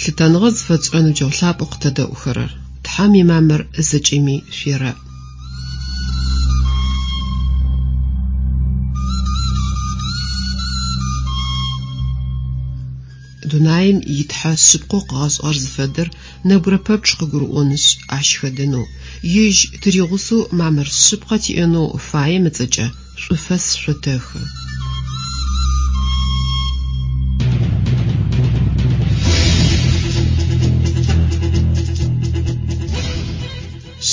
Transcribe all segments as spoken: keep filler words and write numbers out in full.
Лъытэныгъэ зыфэтшӏырэ ныбджэгъу лъапӏэу къытэдэӏухэрэр, Тхьэм имамыр зэкӏэми шъуерэӏ. Дунаим итхьэ шъыпкъэу къыгъэшӏыгъэр зыфэдэр нэбгырэ пэпчъ къыгурыӏонышъ ащ хэдэнэу, ежь тыригъусэу мамыр шъыпкъэ тиӏэнэу фаем ыцӏэкӏэ шӏуфэс шъотэхы.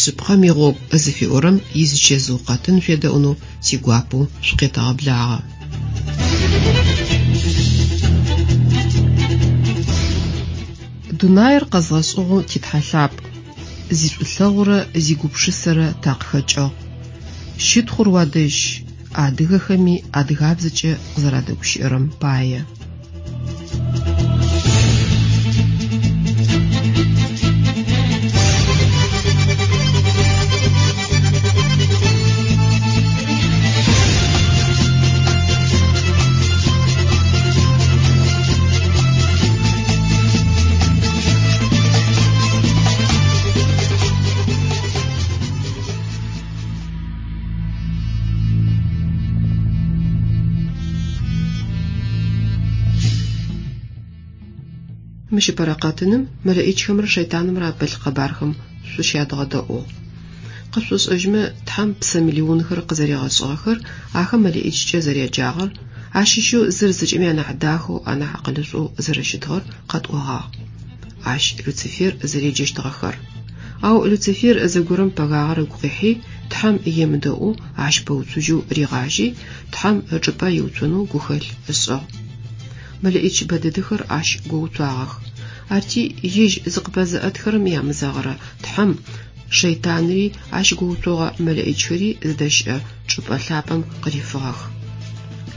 Шъыпкъэм игъогу зыфиӏорэм изычэзыу къэтын шъуедэӏунэу тигуапэу шъукъетэгъэблагъэ. Дунаир къэзгъэшӏыгъэу титхьэ лъапӏ, зишӏулъэгъурэ зигупшысэрэ такъыхэкӏыгъ. Щытхъур уадэжь, адыгэхэми адыгабзэкӏэ къызэрадэгущыӏэрэм пае. Мыщ ыпэрэ къэтыным мэлэӏичхэмрэ шэйтанымрэ апылъ къэбархэм шъущядгъэдэӏугъ. Къэшъушӏэжьмэ Тхьэм псэ миллионхэр къызэригъэшӏыгъэхэр, ахэм мэлэӏичкӏэ зэряджагъэр, ащыщэу зыр зэкӏэми анахь дахэу, анахь акъылышӏоу зэрэщытыгъэр къэтӏогъагъ. Ащ Люцифер зэреджэщтыгъэхэр. Ау Люцифер зэгорэм пэгагъэр ыгу къихьи, Тхьэм емыдэӏоу ащ пэуцужьэу ригъажьи, Тхьэм ычӏыпӏэ иуцонэу гухэлъ ышӏыгъ. Мэлэӏич бэдэдэхэр ащ гоуцуагъэх. Арти ежь зыкъыпэзыӏэтхэрэм ямызэгъырэ Тхьэм шэйтанри ащ гоуцогъэ мэлэӏичхэри зыдэщыӏэ чӏыпӏэ лъапӏэм къырифыгъэх.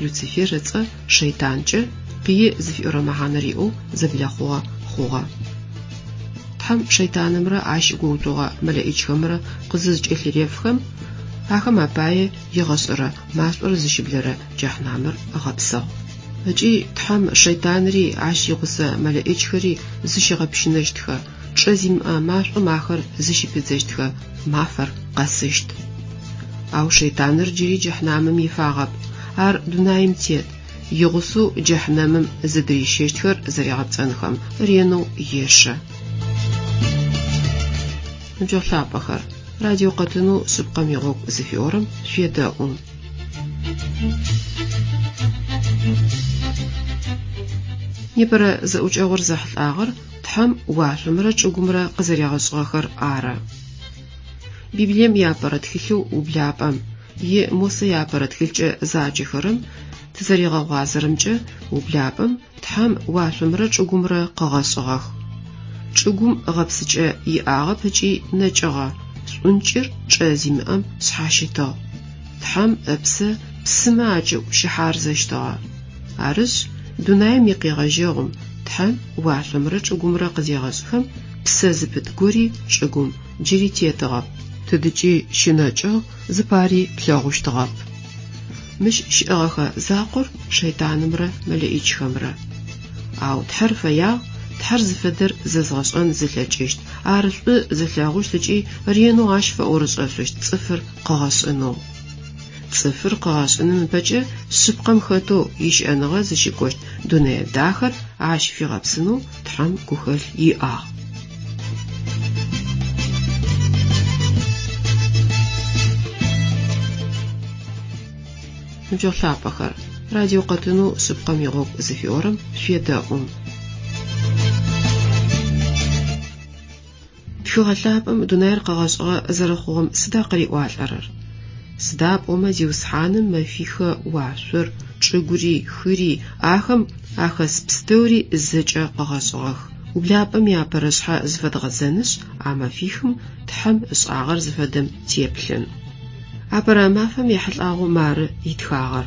Люцифер ыцӏэ шэйтанкӏэ пые зыфиӏорэ мэхьанэр иӏэу зэблэхъугъэ хъугъэ. Тхьэм шэйтанымрэ ащ гоуцогъэ мэлэӏичхэмрэ къызызкӏэлъырефхэм, ахэм апае егъэшӏэрэ машӏор зыщыблэрэ джэхьнамыр ыгъэпсыгъ. Ыкӏи Тхьэм шэйтанри ащ игъусэ мэлэӏичхэри зыщигъэпщынэщтхэ, чӏэ зимыӏэ машӏом ахэр зыщыпидзэщтхэ мафэр къэсыщт. Ау шэйтаныр джыри джэхьнамым ифагъэп, ар дунаим тет, игъусэу джэхьнэмым зыдырищэщтхэр зэригъэпцӏэнхэм ренэу ешэ. Ныбджэгъу лъапӏэхэр, радио къэтынэу шъыпкъэм игъогу зыфиӏорэм шъуедэӏу. Непэрэ зэӏукӏэгъур зэхьылӏагъэр Тхьэм уашъомрэ чӏыгумрэ къызэригъэшӏыгъэхэр ары. Библием иапэрэ тхылъэу ублапӏэм е Мосэ иапэрэ тхылъкӏэ заджэхэрэм тызэригъэгъуазэрэмкӏэ ублапӏэм Тхьэм уашъомрэ чӏыгумрэ къыгъэшӏыгъэх. Чӏыгум гъэпсыкӏэ иӏагъэп ыкӏи нэкӏыгъэ, шӏункӏыр чӏэ зимыӏэм шъхьащытыгъ. Тхьэм ыпсэ псымэ акӏыӏу щыхьарзэщтыгъэ. Арышъ, дунаим икъегъэжьэгъум Тхьэм уашъомрэ чӏыгумрэ къызегъэшӏхэм псэ зыпыт гори чӏыгум джыри тетыгъэп. Тыдыкӏи щынэкӏыгъ, зыпари плъэгъущтыгъэп. Мыщ щыӏэгъэхэ закъор шэйтанымрэ мэлэӏичхэмрэ. Ау Тхьэр фэягъ, Тхьэр зыфэдэр зэзгъэшӏэн зылъэкӏыщт, ар шӏу зылъэгъущт ыкӏи ренэу ащ фэӏорышӏэшъущт цӏыфыр къыгъэшӏынэу. Цӏыфыр къыгъэшӏыным ыпэкӏэ шъыпкъэм хэтэу ищыӏэныгъэ зыщыкӏощт дунэе дахэр ащ фигъэпсынэу Тхьэм гухэлъ иӏагъ. Ныбджэгъу лъапӏэхэр, радио къэтынэу шъыпкъэм игъогу зыфиӏорэм шъуедэӏу. Тхыгъэ лъапӏэм дунаир къэгъэшӏыгъэ зэрэхъугъэм сыда къыриӏуалӏэрэр? Сыда пӏомэ Зиусхьаным мэфихэ уашъор, чӏыгури, хыри, ахэм ахэс пстэури зэкӏэ къыгъэшӏыгъэх. Ублапӏэм иапэрэ шъхьэ зыфэдгъэзэнышъ, а мэфихым Тхьэм ышӏагъэр зыфэдэм теплъын. Апэрэ мафэм ехьылӏагъэу мары итхагъэр.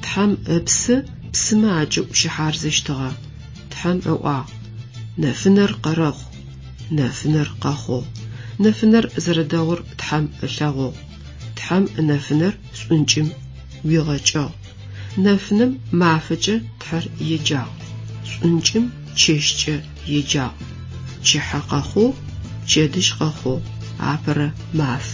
Тхьэм ыпсэ псымэ акӏыӏу щыхьарзэщтыгъэ. Тхьэм ыӏуагъ: Нэфынэр къэрэхъу. Нэфынэр къэхъугъ. Нэфынэр зэрэдэгъур Тхьэм ылъэгъугъ. Тхьэм нэфынэр шӏункӏым ӏуигъэкӏыгъ. Нэфынэм мафэкӏэ Тхьэр еджагъ. Шӏункӏым чэщкӏэ еджагъ. Пчыхьэ къэхъугъ, пчэдыжь къэхъугъ, апэрэ маф.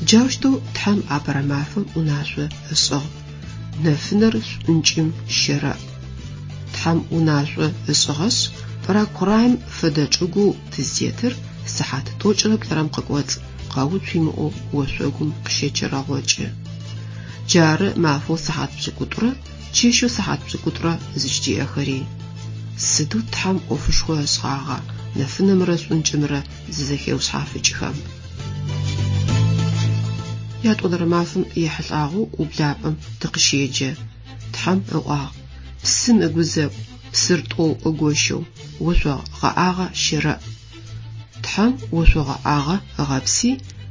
Джаущтэу Тхьэм апэрэ мафэм унашъо ышӏыгъ: нэфынэр шӏункӏым щэрэӏ. Тхьэм унашъо ышӏыгъэшъ, пӏырагу-хъураем фэдэ чӏыгоу тызтетыр сыхьат тӏокӏырэ плӏырэм къыкӏоцӏ къэуцу имыӏэу ошъогум къыщэчэрэгъокӏы. Джары мафэу сыхьат пшӏыкӏутӏурэ чэщэу сыхьат пшӏыкӏутӏурэ зыкӏытиӏэхэри. Сыдэу Тхьэм ӏофышхо ышӏагъа нэфынэмрэ шӏункӏымрэ зызэхеушъхьафыкӏхэм. Ятӏонэрэ мафэм ехьылӏагъэу ублапӏэм тыкъыщеджэ. Тхьэм ыӏуагъ: псым ыгузэгу, псыр тӏоу ыгощэу, ошъо гъэӏагъэ щэрэӏ. Тхьэм ошъо гъэӏагъэ ыгъэпси,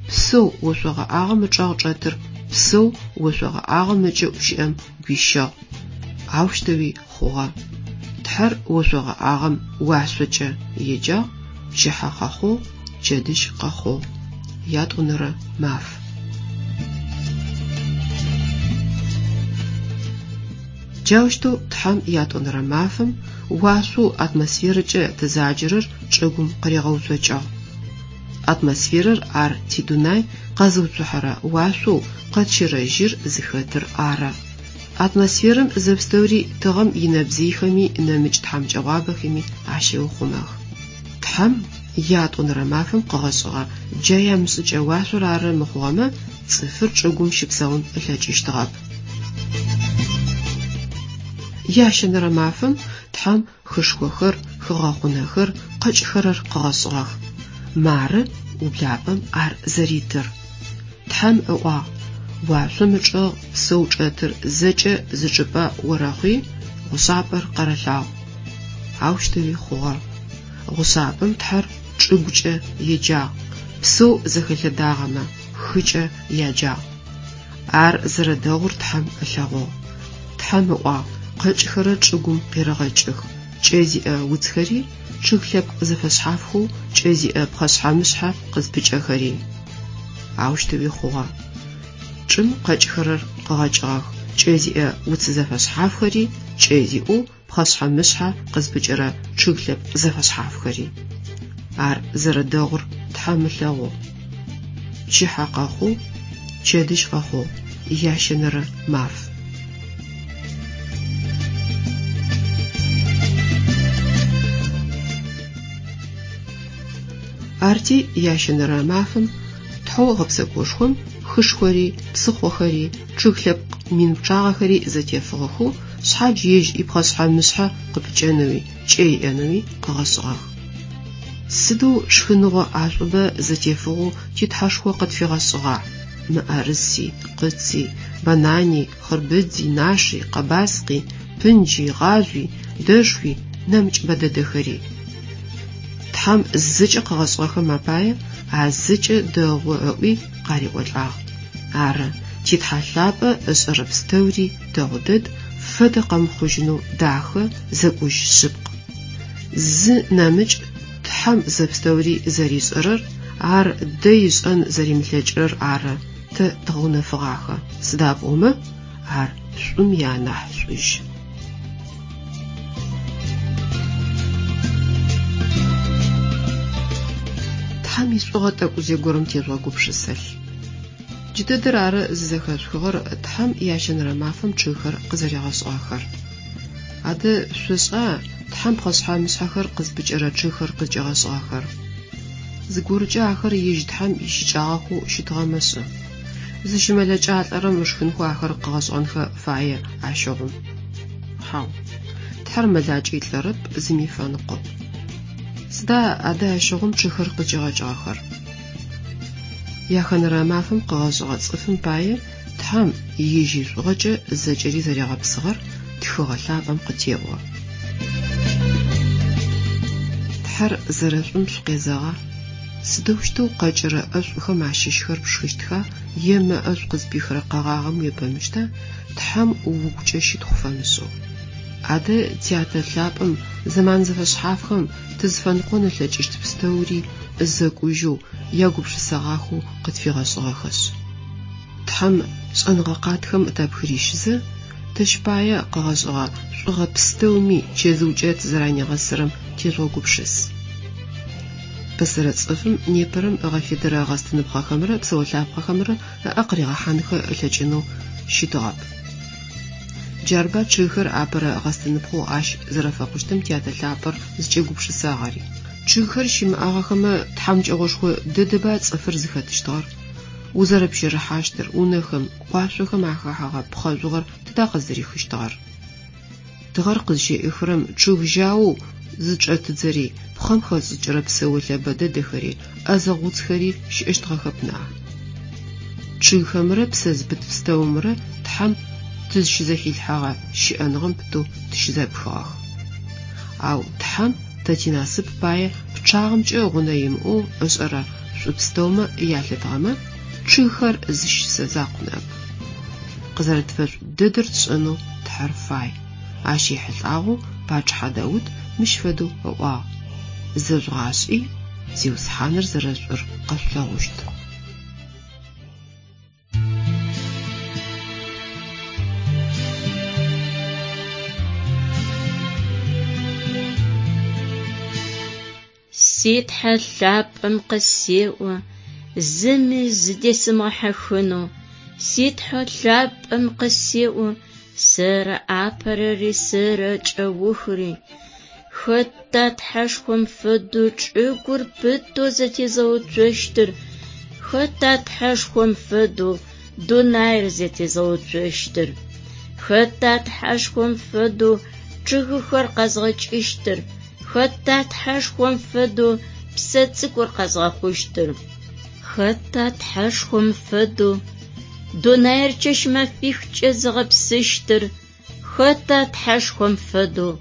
псэу ошъо гъэӏагъэм ычӏэгъ чӏэтыр псэу ошъо гъэӏагъэм ыкӏыӏу щыӏэм гуищыгъ. Аущтэуи хъугъэ. Тхьэр ошъо гъэӏагъэм уашъокӏэ еджагъ, пчыхьэ къэхъугъ, пчэдыжь къэхъугъ. Ятӏонэрэ маф. Джаущтэу Тхьэм ятӏонэрэ мафэм уашъоу атмосферэкӏэ тызаджэрэр чӏыгум къыригъэуцокӏыгъ. Атмосферэр ар тидунай къэзыуцухьэрэ уашъоу къэтщэрэ жьыр зыхэтыр ары. Атмосферэм зэпстэури тыгъэм инэбзыйхэми нэмыкӏ тхьамыкӏэгъуабэхэми ащеухъумэх. Тхьэм ятӏонэрэ мафэм къыгъэшӏыгъэ джа ямышӏыкӏэ уашъор ары мыхъугъэмэ, цӏыфыр чӏыгум щыпсэун ылъэкӏыщтыгъэп. Ящэнэрэ мафэм Тхьэм хышхохэр, хыгъэхъунэхэр, къэкӏхэрэр къыгъэшӏыгъэх. Мары ублапӏэм ар зэритыр. Тхьэм ыӏуагъ: уашъом ычӏэгъ псэу чӏэтыр зэкӏэ зы чӏыпӏэ орэхъуи, гъушъапӏэр къэрэлъагъу. Аущтэуи хъугъэ. Гъушъапӏэм Тхьэр чӏыгукӏэ еджагъ, псэу зэхэлъэдагъэмэ хыкӏэ яджагъ. Ар зэрэдэгъур Тхьэм ылъэгъугъ. Тхьэм ыӏуагъ: къэкӏхэрэр чӏыгум къерэгъэкӏых, кӏэ зиӏэ уцхэри, чъыг лъэпкъ зэфэшъхьафхэу кӏэ зиӏэ пхъэшъхьэ-мышъхьэ къызпыкӏэхэри. Аущтэуи хъугъэ. Чӏым къэкӏхэрэр къыгъэкӏыгъэх, кӏэ зиӏэ уц зэфэшъхьафхэри, кӏэ зиӏэу пхъэшъхьэ-мышъхьэ къызпыкӏэрэ чъыг лъэпкъ зэфэшъхьафхэри. Ар зэрэдэгъур Тхьэм ылъэгъугъ. Пчыхьэ къэхъугъ, пчэдыжь къэхъугъ, ящэнэрэ маф. Арти ящэнэрэ мафэм Тхьэу гъэпсэкӏошхом хышхори, псыхъохэри, чъыг лъэпкъ мин пчъагъэхэри зэтефыгъэхэу шъхьадж ежь ипхъэшъхьэ-мышъхьэ къыпыкӏэнэуи, кӏэ иӏэнэуи къыгъэшӏыгъэх. Сыдэу шхыныгъо ӏашӏубэ зэтефыгъэу ти Тхьэшхо къытфигъэшӏыгъа? Мыӏэрыси, къыци, банани, хъырбыдзи, наши, къэбаскъи, пынджи, гъажъуи, дэшхуи, нэмыкӏ бэдэдэхэри. Тхьэм зэкӏэ къыгъэшӏыгъэхэм апае а зэкӏэ дэгъу ыӏуи къариӏолӏагъ. Ары, ти Тхьэ лъапӏэ ышӏэрэ пстэури дэгъу дэд, фэдэ къэмыхъужьынэу дахэ, зэкӏужь шъыпкъ. Зы нэмыкӏ Тхьэм зэпстэури зэришӏэрэр, ар дэй ышӏэн зэримылъэкӏырэр ары тэ дгъэунэфыгъахэ, сыда пӏомэ ар шӏум ианахь шӏужь. Тхьэм ишӏугъэ тӏэкӏу зэгорэм тежъугъэгупшысэлъ. Джыдэдэр ары зызэхэшъухыгъэр Тхьэм ящэнэрэ мафэм чъыгхэр къызэригъэшӏыгъэхэр. Адэ шъошӏа Тхьэм пхъэшъхьэ-мышъхьэхэр къызпыкӏэрэ чъыгхэр къызкӏигъэшӏыгъэхэр? Зыгорэкӏэ ахэр ежь Тхьэм ищыкӏагъэхэу щытыгъэмэ шӏэ. Зыщымэлэкӏалӏэрэм ышхынхэу ахэр къыгъэшӏыгъэнхэ фае ащыгъум. Хьау, Тхьэр мэлакӏи лӏэрэп, зыми фэныкъоп. Сыда адэ ащыгъум чъыгхэр къызкӏигъэкӏыгъэхэр? Яхэнэрэ мафэм къыгъэшӏыгъэ цӏыфым пае Тхьэм ежь ишӏугъэкӏэ зэкӏэри зэригъэпсыгъэр Тхыгъэ лъапӏэм къытеӏо. Тхьэр зэрэшӏум шъукъезэгъа? Сыдэущтэу къэкӏырэ ӏэшӏухэм ащыщхэр пшхыщтха е мэ ӏэшӏу къызпихырэ къэгъагъэм уебэныщта Тхьэм угукӏэ щытхъу фэмышӏэу? Адэ тятэ лъапӏэм зэман зэфэшъхьафхэм тызфэныкъон ылъэкӏыщт пстэури зэкӏужьэу, ягупшысэгъахэу къытфигъэшӏыгъэхэшъ. Тхьэм шӏэныгъэ къатхэм тапхырищызэ, Тэщ пае къыгъэшӏыгъэ шӏугъэ пстэуми чэзыукӏэ тызэранигъэсырэм тежъугъэгупшыс. Пэсэрэ цӏыфым непэрэм ыгъэфедэрэ гъэстыныпхъэхэмрэ псэолъапхъэхэмрэ ыӏэ къыригъэхьанхэ ылъэкӏынэу щытыгъэп. Джарба чъыгхэр апэрэ гъэстыныпхъэу ащ зэрэфэхъущтым тятэ лъапӏэр зыкӏегупшысагъэри. Чъыгхэр щымыӏагъэхэмэ тхьамыкӏэгъошхо дэдэба цӏыфыр зыхэтыщтыгъэр. Узэрэпщэрыхьащтыр, унэхэм, къуашъохэм ахэхьэгъэ пхъэ жъугъэр тыда къыздырихыщтыгъэр? Тыгъэр къызщеӏыхырэм чъыг жьаоу зычӏэтыдзэри, пхъэм хэшӏыкӏырэ псэолъэ бэдэдэхэри, ӏэзэгъу уцхэри щыӏэщтыгъэхэп ныӏа. Чъыгхэмрэ псэ зыпыт пстэумрэ Тхьэм тызщызэхилъхьэгъэ щыӏэныгъэм пытэу тыщызэпхыгъэх. Ау Тхьэм тэ тинасып пае пчъагъэмкӏэ гъунэ имыӏэу ышӏэрэ шӏу пстэумэ ялъытыгъэмэ, чъыгхэр зы щысэ закъу ныӏэп. Къызэрэтфэшӏу дэдэр тшӏэнэу Тхьэр фай. Ащ ехьылӏагъэу пачъыхьэ Даут мыщ фэдэу ыӏуагъ: Зэжъугъашӏи, Зиусхьаныр зэрэшӏур къэшъулъэгъущт. Си Тхьэ лъапӏэм къысеӏо, зыми зыдесымыгъэхьыхынэу. Си Тхьэ лъапӏэм къысеӏо, сэры апэрэри сэры кӏэухыри. Хэта Тхьэшхом фэдэу чӏыгур пытэу зэтезыгъэуцощтыр? Хэта Тхьэшхом фэдэу дунаир зэтезыгъэуцощтыр? Хэта Тхьэшхом фэдэу чъыгыхэр къэзгъэкӏыщтыр? Хэта Тхьэшхом фэдэу псэ цӏыкӏур къэзгъэхъущтыр? Хэта Тхьэшхом фэдэу дунаир чэщ-мэфихкӏэ зыгъэпсыщтыр? Хэта Тхьэшхом фэдэу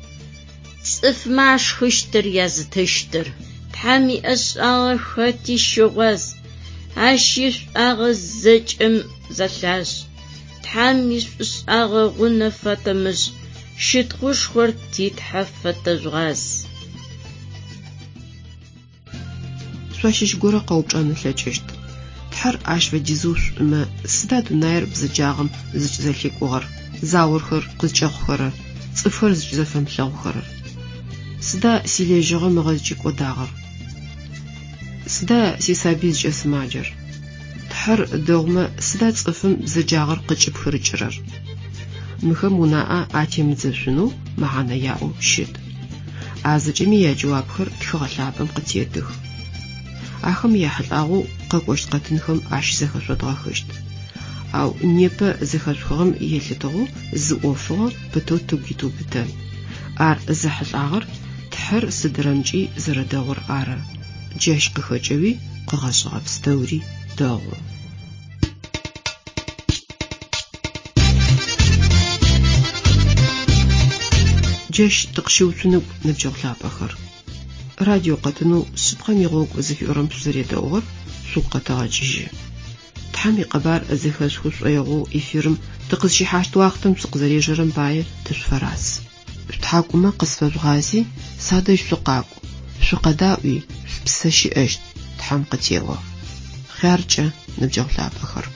цӏыфмэ ашхыщтыр язытыщтыр? Тхьэм иӏэшӏагъэ хэти щыгъуаз, Ащ ишӏуагъэ зэкӏэм зэлъашӏ. Тхьэм ишӏушӏагъэ гъунэ фэтымышӏ, щытхъушхор ти Тхьэ фэтэжъугъаз. Шъуащыщ горэ къэупчӏэн ылъэкӏыщт. Тхьэр ащ фэдизэу шӏумэ, сыда дунаир бзэджагъэм зыкӏызэлъикӏугъэр, заохэр къызкӏэхъухэрэр, цӏыфхэр зыкӏызэфэмылъэгъухэрэр? Сыда силэжьыгъэ мыгъэ зыкӏикӏодагъэр? Сыда сисабый зыкӏэсымаджэр? Тхьэр дэгъумэ, сыда цӏыфым бзэджагъэр къыкӏыпхырыкӏырэр? Мыхэм унаӏэ атемыдзэшъунэу мэхьанэ яӏэу щыт. А зэкӏэми яджэуапхэр тхыгъэ лъапӏэм къытетых. Ахэм яхьылӏагъэу къэкӏощт къэтынхэм ащызэхэшъодгъэхыщт. Ау непэ зэхэшъухыгъэм елъытыгъэу зы ӏофыгъо пытэу тыгу итыубытэн. Ар зэхьылӏагъэр Тхьэр сыдырэмкӏи зэрэдэгъур ары. Джащ къыхэкӏэуи къыгъэшӏыгъэ пстэури дэгъу. Джащ тыкъыщыуцуныгу ныбджэгъу лъапӏэхэр. Радио къэтынэу шъыпкъэм игъогу зыфиӏорэм шъузэредэӏугъэр шъугу къэтэгъэкӏыжьы. Тхьэм икъэбар зэхэшъухы шӏоигъоу эфирым тыкъызщихьащт уахътэм шъукъызэрежэрэм пае тышъуфэраз. Шъутхьакӏумэ къысфэжъугъази, садэжь шъукъакӏу, шъукъэдаӏуи, шъупсэ щыӏэщт, Тхьэм къытеӏо. Хъяркӏэ, ныбджэгъу лъапӏэхэр.